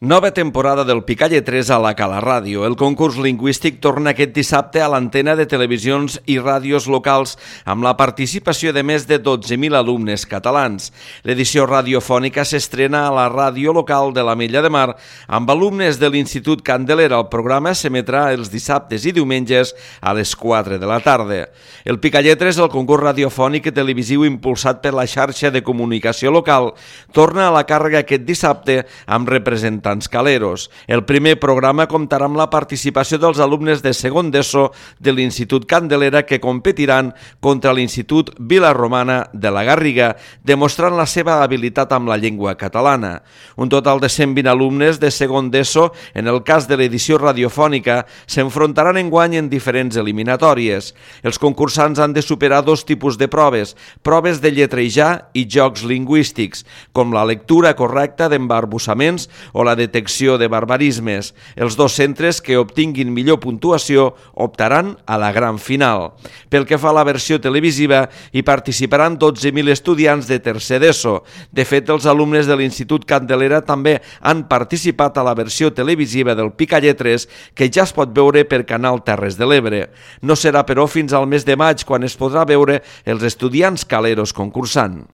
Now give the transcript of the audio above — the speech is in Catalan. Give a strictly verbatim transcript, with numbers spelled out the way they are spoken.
Nova temporada del Picalletres a la Cala Ràdio. El concurs lingüístic torna aquest dissabte a l'antena de televisions i ràdios locals amb la participació de més de dotze mil alumnes catalans. L'edició radiofònica s'estrena a la ràdio local de l'Ametlla de Mar amb alumnes de l'Institut Candelera. El programa s'emetrà els dissabtes i diumenges a les quatre de la tarda. El Picalletres, el concurs radiofònic i televisiu impulsat per la xarxa de comunicació local, torna a la càrrega aquest dissabte amb representants caleros. El primer programa comptarà amb la participació dels alumnes de segon d'ESO de l'Institut Candelera que competiran contra l'Institut Vila-romana de la Garriga, demostrant la seva habilitat amb la llengua catalana. Un total de cent vint alumnes de segon d'ESO, en el cas de l'edició radiofònica, s'enfrontaran enguany en diferents eliminatòries. Els concursants han de superar dos tipus de proves, proves de lletrejar i jocs lingüístics, com la lectura correcta d'embarbussaments o la detecció de barbarismes. Els dos centres que obtinguin millor puntuació optaran a la gran final. Pel que fa a la versió televisiva, hi participaran dotze mil estudiants de tercer d'ESO. De fet, els alumnes de l'Institut Candelera també han participat a la versió televisiva del Picalletres, que ja es pot veure per Canal Terres de l'Ebre. No serà, però, fins al mes de maig, quan es podrà veure els estudiants caleros concursant.